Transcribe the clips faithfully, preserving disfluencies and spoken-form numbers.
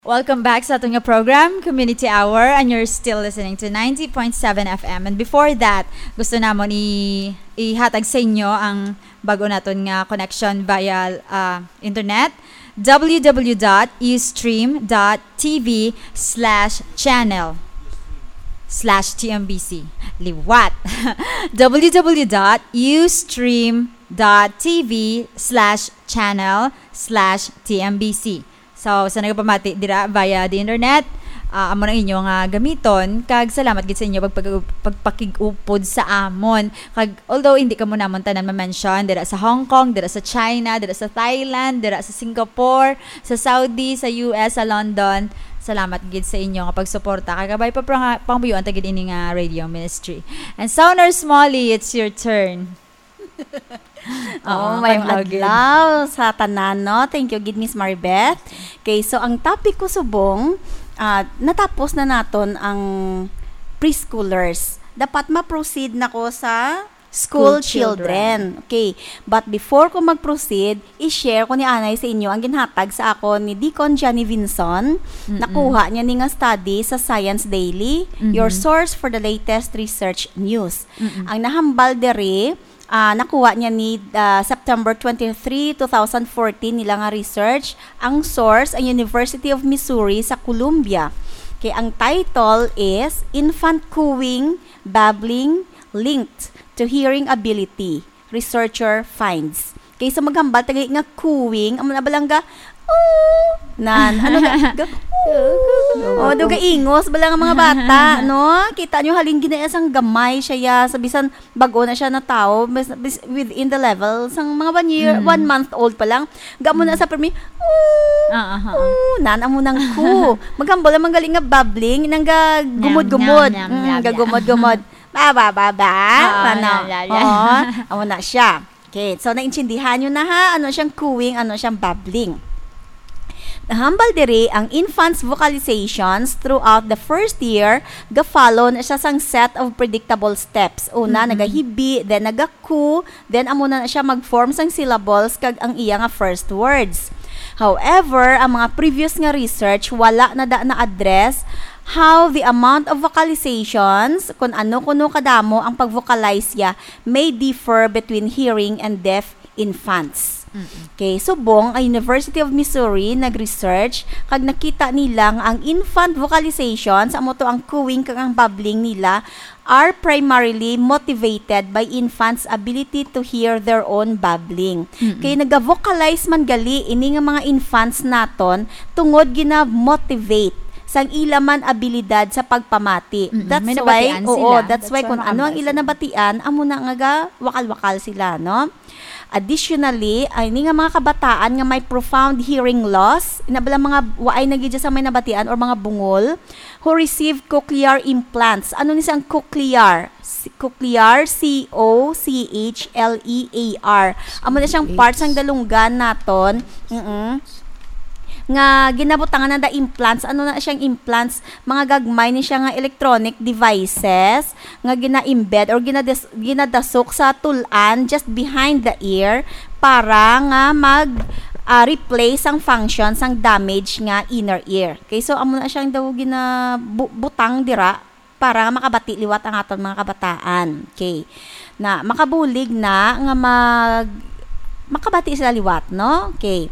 Welcome back sa aton nga program, Community Hour, and you're still listening to ninety point seven F M. And before that, gusto namon i-, ihatag sa inyo ang bago naton nga connection via, ah, internet, w w w dot ustream dot t v slash channel slash t m b c. Liwat. w w w dot ustream dot t v slash channel slash t m b c. So, sa nagapamati dira via the internet, ah, amo na inyo nga gamiton, kag salamat gid sa inyo pagpag-, pagpakig-upod sa amon. Kag although hindi kamo namon tanan ma-mention, dira sa Hong Kong, dira sa China, dira sa Thailand, dira sa Singapore, sa Saudi, sa U S, sa London, salamat gid sa inyo nga pagsuporta. Kag kabay pa, pa nga, pangabuyuan ta gid ini nga radio ministry. And Sonar Smalley, it's your turn. Oo, Oo, maayong adlaw gid. Adlaw sa tanan, no? Thank you gid, Miss Maribeth. Okay, so ang topic ko subong, ah, natapos na naton ang preschoolers. Dapat ma-proceed na ko sa school School children. children. Okay, but before ko mag-proceed, i-share ko ni anay sa inyo ang ginhatag sa ako ni Deacon Johnny Vinson. Mm-mm. Nakuha niya ni nga study sa Science Daily, your Mhm. source for the latest research news. Mm-mm. Ang nahambal diri, ah, nakuha niya ni, ah, September twenty-three, two thousand fourteen nila nga research. Ang source, ang University of Missouri sa Columbia. Okay, ang title is Infant Cooing, Babbling, Linked to Hearing Ability, Researcher Finds. Okay, so maghambal ta gali nga cooing, amo na ba lang ga, "Oh," nan, ano ga, ga, "Oh." Oh, do ga ingos ba lang ang mga bata, no? Kita nyo, halin gina sang gamay siya, ya, sa bisan bag-o na siya na tao, bis-, bis-, within the level, sang mga one year, Mm. one month old pa lang, ga mo na Mm. sa permi, "Oh, Ah, ah, ah, ah. oh," nan, amo nang coo. Maghambal naman gali nga babbling, nang ga Nyam, gumod-gumod. nyam, nyam, Mm, nyam, ga nyam. gumod-gumod. Ba, ba, ba, ba. Oo, Ano? yeah, yeah, yeah. Oo, amo na siya. Okay, so naintindihan nyo na ha, ano siyang cooing, ano siyang babbling. Nahambal diri ang infants' vocalizations throughout the first year, ga-follow na siya sang set of predictable steps. Una, Mm-mm. nagahibi, then nagacoo, then amo na na siya mag-form sang syllables kag ang iya nga first words. However, ang mga previous nga research wala na da na-address how the amount of vocalizations, kun ano kuno kadamo ang pag-vocalize ya, may differ between hearing and deaf infants. Mm-mm. Okay, subong ang University of Missouri nag-research kag nakita nila nga ang infant vocalizations, amo to ang cooing kag ang babbling nila, are primarily motivated by infants' ability to hear their own babbling. Mm-mm. Kay naga-vocalize man gali ini nga mga infants naton tungod gina-motivate sang ila man abilidad sa pagpamati. Mm-mm. That's May why, nabatian oo, sila. that's That's why why kung ano ang makambalas ila sila. nabatian, amo na nga ga-wakal-wakal sila, no? Additionally, ay ni nga mga kabataan nga may profound hearing loss, ina bala mga waay na gid sa may nabatian or mga bungol, who receive cochlear implants. Ano ni sang cochlear? Si-, cochlear, C O C H L E A R. Amo na siyang C H. part sang dalunggan naton. Mm-mm. Nga ginabutangan na da implants. Ano na siyang implants? Mga gagmay ni siya nga electronic devices nga gina-embed or ginadas-, ginadasok sa tul-an just behind the ear para nga mag, ah, replace ang function sang damage nga inner ear. Okay, so amo na siyang daw gina-, bu-, butang dira para nga makabati liwat ang aton mga kabataan. Okay. Na makabulig na nga mag-, makabati sila liwat, no? Okay.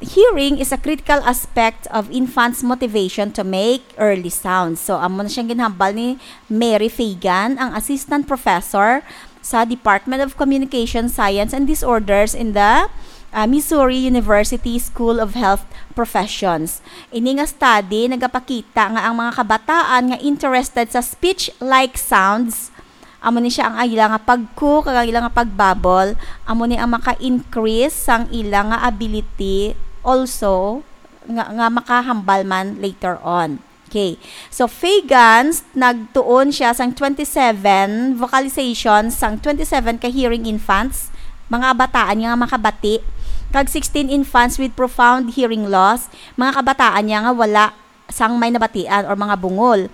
Hearing is a critical aspect of infants' motivation to make early sounds. So, amo na siyang ginhambal ni Mary Fagan, ang assistant professor sa Department of Communication Science and Disorders in the, ah, Missouri University School of Health Professions. Ini nga study nagapakita nga ang mga kabataan nga interested sa speech-like sounds, amo ni siya ang ila nga pag-coo kag ang ila nga pag-babble, amo ni ang maka-increase sang ila nga ability also nga, nga makahambal man later on. Okay. So, Fagans, nagtuon siya sang twenty-seven vocalizations sang twenty-seven ka hearing infants, mga kabataan niya nga makabati, kag sixteen infants with profound hearing loss, mga kabataan niya nga wala sang may nabatian or mga bungol.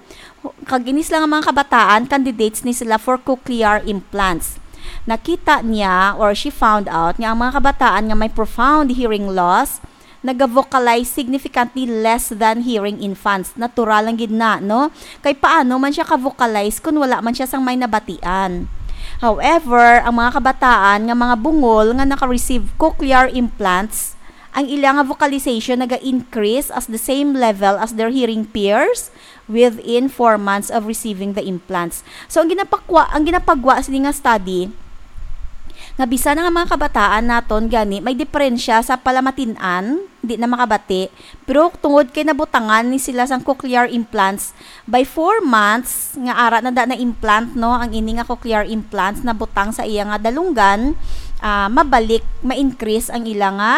Kag ini sila nga mga kabataan, candidates ni sila for cochlear implants. Nakita niya or she found out nga ang mga kabataan nga may profound hearing loss, naga-vocalize significantly less than hearing infants. Natural lang gid na, no? Kay paano man siya ka-vocalize kung wala man siya sang may nabatian? However, ang mga kabataan nga mga bungol nga naka-receive cochlear implants, ang ila nga vocalization naga-increase as the same level as their hearing peers within four months of receiving the implants. So, ang ginapakwa-, ang ginapagwa sini nga study, nga bisan nga mga kabataan naton gani may diperensya sa palamatin-an, di na makabati, pero tungod kay nabutangan ni sila sang cochlear implants, by four months nga ara na da na implant, no, ang ini nga cochlear implants nabutang sa iya nga dalunggan, ah, mabalik, ma-increase ang ila nga,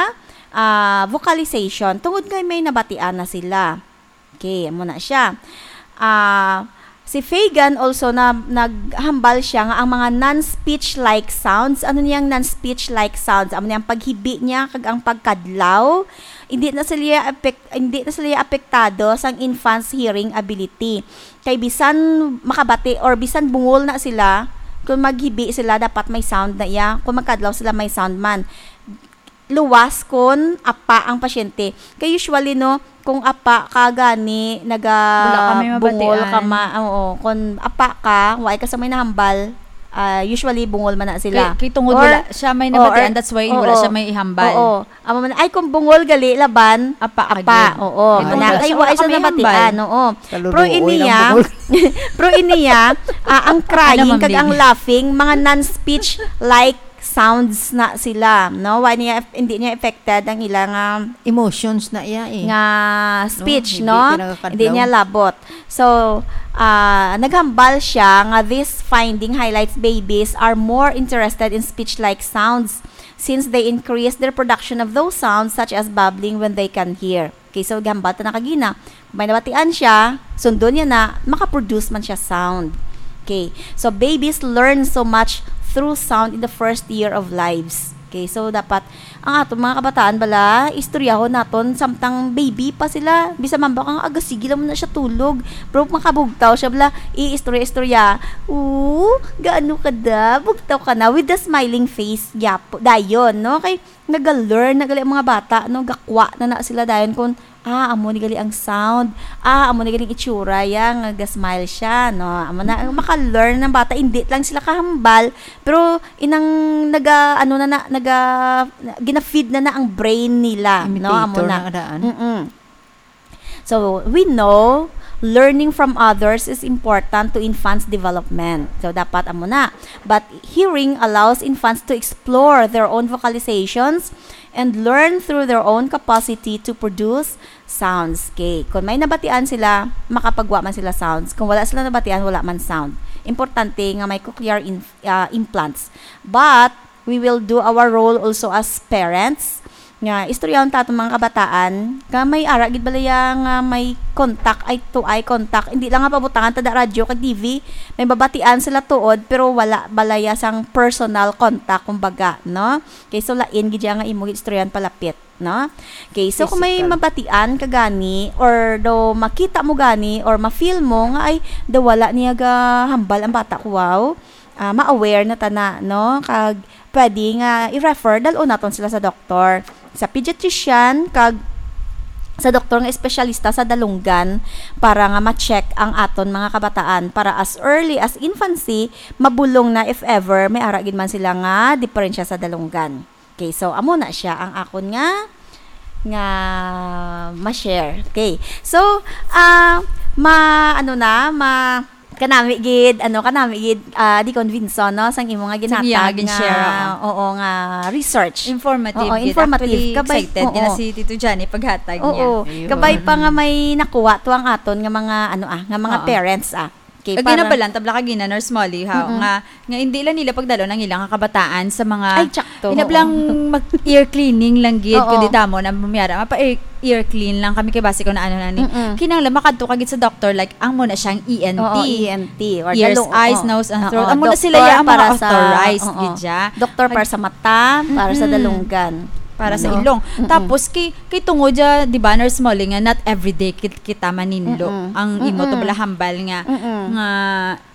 ah, vocalization tungod kay may nabatian na sila. Okay, amo na siya. Ah, si Fagan also na naghambal siya nga ang mga non-speech-like sounds, ano niyang non-speech-like sounds? Amo niyang paghibi niya kag ang pagkadlaw, hindi na sila apek-, hindi na sila apektado sang infant's hearing ability. Kay bisan makabati or bisan bungol na sila, kung maghibi sila, dapat may sound na iya. Kung magkadlaw sila, may sound man. Luwas kon apa ang pasyente. Kay usually, no, kung apa ka gani, naga Wala ka may bungol ka mabatian. ma-, oo, kung apa ka, wa ka sa may nahambal, ah, usually bungol man na sila. Kay, kay tungod Or, wala siya may oo, nabatian, or, that's why wala oo, siya may ihambal. Oo. Amo man, ay, kung bungol gali laban, Apa ka apa, gid. oo. Kay Wala, wala kay siya, wa wala siya ka may nabatian, hambal. oo. Pero Kaluruoy ang iniya, bungol. pero iniya, ah, ang Ano, crying Ma'am kag ang Lily? laughing, mga non-speech-like sounds na sila, no? Wa niya, hindi niya affected ang ilang, ah, Emotions na iya eh. nga speech, No? Hindi no? pinagkakadlaw. Hindi niya labot. So, ah, naghambal siya nga this finding highlights babies are more interested in speech-like sounds since they increase their production of those sounds such as babbling when they can hear. Okay, so gambal ta na kagina. May nabatian siya, sundon niya na, makaproduce man siya sound. Okay, so babies learn so much through sound in the first year of lives. Okay, so dapat ang aton mga kabataan bala, istoryahon naton samtang baby pa sila. Bisan man ba kang aga, sige lang mo na siya tulog. Pero makabugtaw siya bala, iistorya-istorya. "Oo, gaano ka da? Bugtaw ka na?" With the smiling face, yapo, dayon, no? Kay naga-learn na gali ang mga bata, no? Gakwa na na sila dayon kung, "Ah, amo ni gali ang sound. Ah, amo ni gali ang itsura ya, nga ga-smile siya," no? Amo na, Mm. maka-learn ng bata. Hindi lang sila kahambal, pero inang naga, ano na na, naga, gina-feed na na ang brain nila, no? Amo Imitator na. na daan. Mm-mm. So, we know learning from others is important to infants' development. So, dapat amo na. But hearing allows infants to explore their own vocalizations and learn through their own capacity to produce sounds. Okay. Kung may nabatian sila, makapagwa man sila sounds. Kung wala sila nabatian, wala man sound. Importante nga may cochlear inf-, ah, implants. But, we will do our role also as parents. Nga, istoryahon ta atong mga kabataan, nga may ara gid balaya nga may contact, eye to eye contact. Hindi lang nga pabutangan ta da radyo kag T V, may babatian sila tuod, pero wala balaya sang personal contact, kumbaga, no? Kay so lain gid siya nga imo gid istoryahan palapit, no? Okay, so kung may Physical. mabatian ka gani, or do makita mo gani, or ma-feel mo nga, "Ay, do wala niya ga hambal ang bata ko, wow." Ah, ma-aware na ta na, no? Kag pwede nga i-refer, dal-on naton sila sa doktor, sa pediatrician, kag sa doktor nga espesyalista sa dalunggan para nga ma-check ang aton mga kabataan para as early as infancy, mabulong na if ever may ara gid man sila nga diperensya sa dalunggan. Okay, so amo na siya ang akon nga, nga ma-share. Okay. So, ah, ma-, ano na, ma-, kanami gid, ano, kanami gid, ah, Deacon Vinson, no, sang imo nga Sang iya ginhatag nga gin-share, nga, oo. oo, nga research. Informative Oo, gid. informative. Actually, Kabay-, excited gid na oo. si Tito Johnny paghatag niya. Oo. Ayun. Kabay pa nga may nakuha to ang aton nga mga, ano, ah, nga mga Oo. parents, ah. Okay, Kag para ginabalan, tabla kagina, Nurse Molly, ha, Mm-mm. nga, nga hindi lang nila pagdalon ang ilang kabataan sa mga Ay, tsakto, Ina oo. blang mag-ear cleaning lang gid, Oo. kundi damo na bumiyara. Mapa-ear, ear clean lang kami kay basi ko na ano na ni. Mm-mm. Kinahanglan makadto ka gid sa doctor, like, ang mo na siyang E N T. Oo, E N T. Or Ears, dalo-, eyes, oo. nose, and Oo, throat. Amo na sila doctor ya ang mga para sa, authorized oo. gid ya. Doctor Ag- para sa mata, para sa Mm-mm. dalunggan. Para sa Ano? ilong. Mm-mm. Tapos, kay, kay tungod ya, di ba, Nurse Molly, nga not everyday kit-, kita maninlo Mm-mm. ang imo to Mm-mm. bala hambal nga, Mm-mm. nga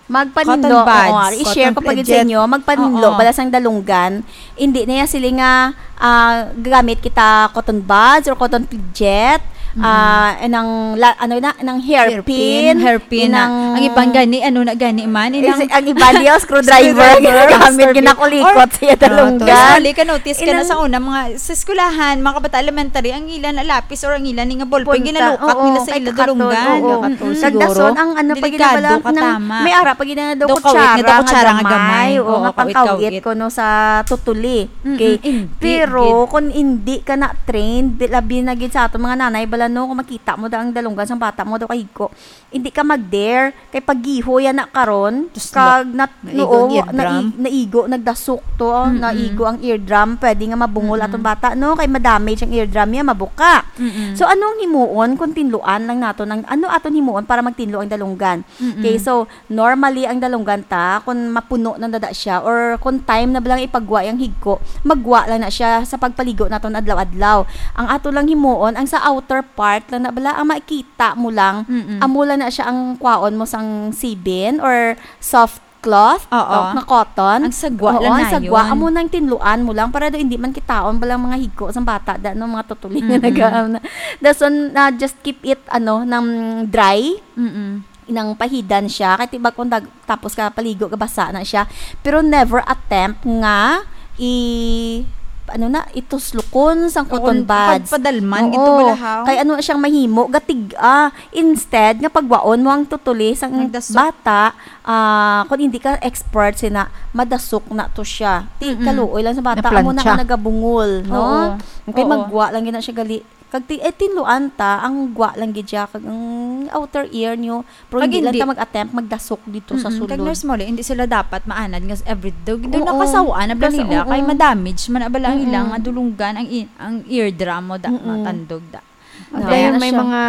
Magpaninlo, Cotton buds. Oo, i-share Cotton ko pa gid sa pledget. Inyo, magpaninlo, Oo. bala sang dalunggan, hindi niya sila nga, ah, gamit kita cotton buds or cotton pledget, Mm. ah, nang la-, ano na, nang hairpin, Hairpin, hairpin na. nang Ang ibang gani, ano na gani man, Is, inang ang iba niya, screwdriver, Screwdriver, gamit, screwdriver. Ginakulikot Or, siya, Oo, dalunggan. Usually, ka-notice ka na Inang sa una, mga, sa eskwelahan, mga kabata elementary, ang ila na lapis or ang ila ni nga ballpen, Punta, ginalukat oo, nila sa kay ila kakaton, dalunggan. oo. Mm-mm. Kag dason, Siguro, ang ano pa delikado gid na bala, ka, nang tama. may ara pa gid na daw Daw kawit nga kutsara daw nga kutsara nga gamay. gamay. Oo, Oo, nga kawit-kawit. pangkawit kuno sa tutuli. Mm-mm, Okay. Hindi Pero gid. kung hindi ka na trained, di-, labi na gid sa aton mga nanay, bala, no, kung makita mo da ang dalunggan sang bata mo, daw kahigko, hindi ka mag-dare. Kay paggiho yan na karon, Tuslok. kag nat-, Naigo noo, ang eardrum. nai-, naigo, nagdasok to, Mm-mm. naigo ang eardrum, pwede nga mabungol Mm-mm. aton bata, no? Kay ma-damage ang eardrum niya, mabuka. Mm-mm. So, anong himuon kung tinluan lang naton ang, ano aton himuon para magtinlo ang dalunggan? Mm-mm. Okay, so, normally, ang dalunggan ta, kung mapuno na dada siya, or kung time na lang ipagwa yung higko, magwa lang na siya sa pagpaligo naton adlaw-adlaw. Ang ato lang himuon, ang sa outer part lang na bala, ang makita mo lang, Mm-mm. amo lang na siya ang kwaon mo sang sibin or soft cloth, Oo. o nga cotton. Ang sagwa Oo, lang ang na sagwa, yun. amo nang tinluan mo lang para do hindi man kitaon bala mga higko sang bata, da, no, mga tutuli nga Mm-mm. naga-, na, dason, ah, just keep it, ano, nang dry. Mm-mm. Nang pahidan siya, kay tibag kung dag-, tapos ka paligo, gabasa na siya. Pero never attempt nga i-, ano na, ituslukon sang cotton Kung buds. pad-, padalman, Oo. gito bala, ha? Kay ano siyang mahimo, gatig-a. Instead, nga pagwaon mo ang tutuli sang Nagdasok. bata, ah, kung hindi ka expert, sina, madasok na to siya. Ti, Mm-mm. kaluoy lang sa bata, amo na Naplantsa. nga nagabungol, no? Oo. Kay Oo. magwa lang gina siya gali. Kag ti-, eh, tinluan ta, ang gwa lang gid siya, kag ang outer ear niyo, pero Kag hindi lang hindi. ta mag-attempt magdasok dito sa Mm-mm. Kag sulod. Nurse Molly, hindi sila dapat maanad nga every day. Daw Oo. nakasawaan na bala Kasi, nila, kay oo. ma-damage man na bala ang Mm-mm. ilang nga dulunggan, ang i-, ang eardrum mo da, Mm-mm. matandog da. Ang Kaya Kaya na may siya. mga,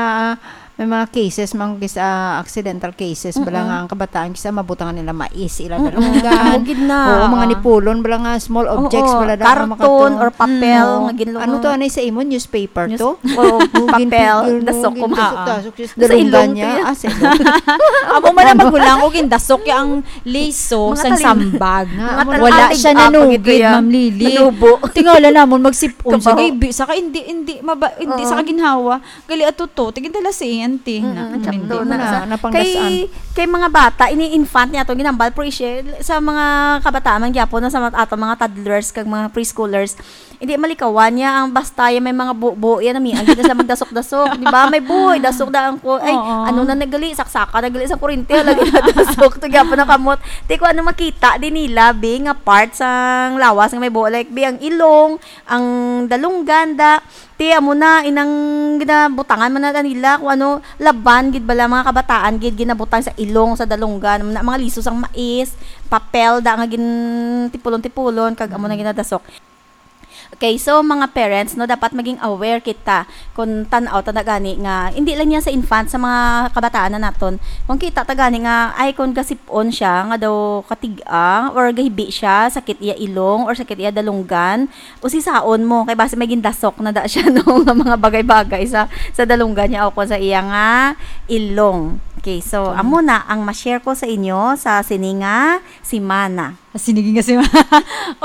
may mga cases, mga kis-, ah, accidental cases, bala Mm-mm. nga ang kabataan, kisa mabutangan nila mais, ila Mm-mm. dalunggan. Amo gid na. Oo, mga Oo. nipulon, bala nga small objects, Oo, bala da, karton makatong. or papel Mm. nga ginlungo. Ano to, anay sa imo? Newspaper News-, to? Oo, Oo, papel, ginpigil mo, dasok ko. ginpasok-tasok, sis, Sa dalunggan ilong niya. to yan. Ah, sa ilong. Amo man ang magulang ko, gindasok ya ang liso Mga sang talim-, sambag. mga Wala talim-, siya ah, nanugid, pagito ya. Ma'am Lily. Manubo. Tingala namon, magsip-on sa Kabaho. gabi, sa ka, hindi, hindi, maba-, hindi Oo. sa kaginhawa. Gali ato to, tigin dala si auntie na. Mm-mm, Hindi sakto mo na. na. Sa, Napanggasaan. kay, kay mga bata, ini infant niya to, ginambal, pero i-share sa mga kabataan man gyapon, na sa mga, ato mga toddlers, kag mga preschoolers, hindi malikawan niya ang basta yan may mga buo-buo yan, namian gid na sila magdasok-dasok, di ba? May buo, dasok na ang ku-, ay, Oo. ano na nagali, saksaka na gali sa kurente, lagi na dasok, to gyapon na kamot. Ti, kung ano makita din nila, bi, nga part sang lawas nga may buo, like, bi, ang ilong, ang dalunggan, da, Ti, amo na, inang ginabutangan man na nila kung ano, laban gid bala, mga kabataan gid, ginabutang sa ilong, sa dalunggan, na mga liso sang mais, papel da nga gin-, tipulon-tipulon, kag amo na Mm. ginadasok. Okay, so, mga parents, no, dapat maging aware kita kung tan-aw ta na gani nga, hindi lang niya sa infant, sa mga kabataan na naton. Kung kita ta gani nga, ay, kung gasip-on siya, nga daw katig-a, or gahibi siya, sakit iya ilong, or sakit iya dalunggan, usisaon mo, kay basi may gindasok na da siya, no, nga mga bagay-bagay sa, sa dalunggan niya o kung sa iya nga ilong. Okay, so, Mm. amo na ang ma-share ko sa inyo sa sini nga semana. Sa sini nga semana.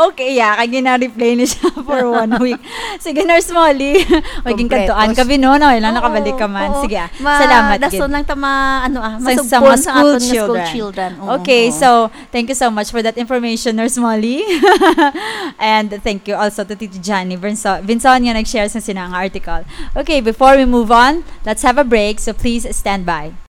Okay, yeah, kay gina-replay ni siya for one week. Sige, Nurse Molly. Maging Kompletos. kantuan ka, Bino, no? Ilang Oo, nakabalik ka man. oo. Sige, ah. Ma-, Salamat, dason gid. lang ta ma-, ano, ah, Sa, sa masugpon mga sa school aton nga school children. children. Oo, Okay, oo. so, Thank you so much for that information, Nurse Molly. And thank you also to Tito Johnny Vinson, Vinson nga nag-share sa sina nga article. Okay, before we move on, let's have a break, so please stand by.